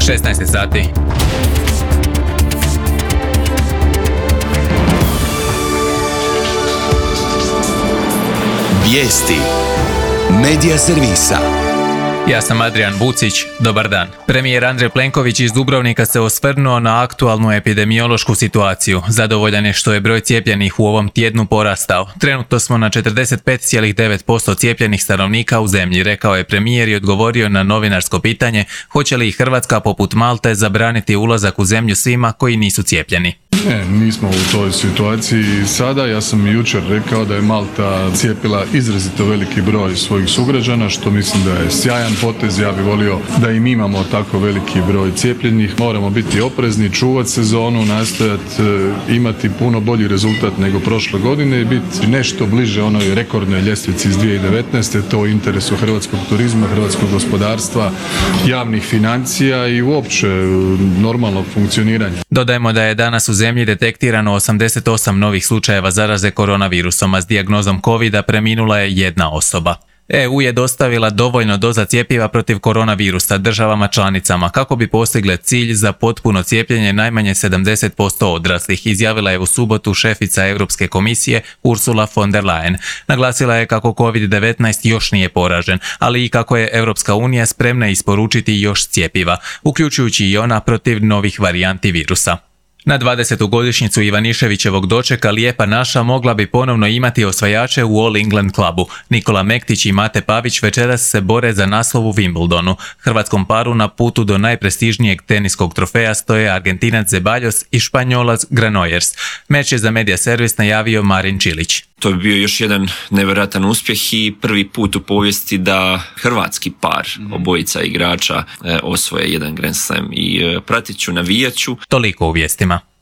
16 sati. Vijesti Medija servisa. Ja sam Adrian Vucić, dobar dan. Premijer Andrej Plenković iz Dubrovnika se osvrnuo na aktualnu epidemiološku situaciju. Zadovoljan je što je broj cijepljenih u ovom tjednu porastao. Trenutno smo na 45,9% cijepljenih stanovnika u zemlji, rekao je premijer i odgovorio na novinarsko pitanje hoće li Hrvatska poput Malte zabraniti ulazak u zemlju svima koji nisu cijepljeni. Ne, nismo u toj situaciji sada. Ja sam jučer rekao da je Malta cijepila izrazito veliki broj svojih sugrađana, što mislim da je sjajan potez. Ja bih volio da i mi imamo tako veliki broj cijepljenih. Moramo biti oprezni, čuvati sezonu, nastojati imati puno bolji rezultat nego prošle godine i biti nešto bliže onoj rekordnoj ljestvici iz 2019. To u interesu hrvatskog turizma, hrvatskog gospodarstva, javnih financija i uopće normalnog funkcioniranja. Dodajmo da je danas u zemlji detektirano 88 novih slučajeva zaraze koronavirusom, a s dijagnozom covida preminula je jedna osoba. EU je dostavila dovoljno doza cjepiva protiv koronavirusa državama članicama kako bi postigle cilj za potpuno cijepljenje najmanje 70% odraslih, izjavila je u subotu šefica Europske komisije Ursula von der Leyen. Naglasila je kako COVID-19 još nije poražen, ali i kako je Europska unija spremna isporučiti još cjepiva, uključujući i ona protiv novih varijanti virusa. Na 20. godišnjicu Ivaniševićevog dočeka Lijepa naša mogla bi ponovno imati osvajače u All England klubu. Nikola Mektić i Mate Pavić večeras se bore za naslov u Wimbledonu. Hrvatskom paru na putu do najprestižnijeg teniskog trofeja stoje Argentinac Zeballos i Španjolac Granollers. Meč je za Medija servis najavio Marin Čilić. To bi bio još jedan nevjerojatan uspjeh i prvi put u povijesti da hrvatski par, obojica igrača, osvoje jedan Grand Slam i pratit ću, navijat ću. Toliko u vijestima.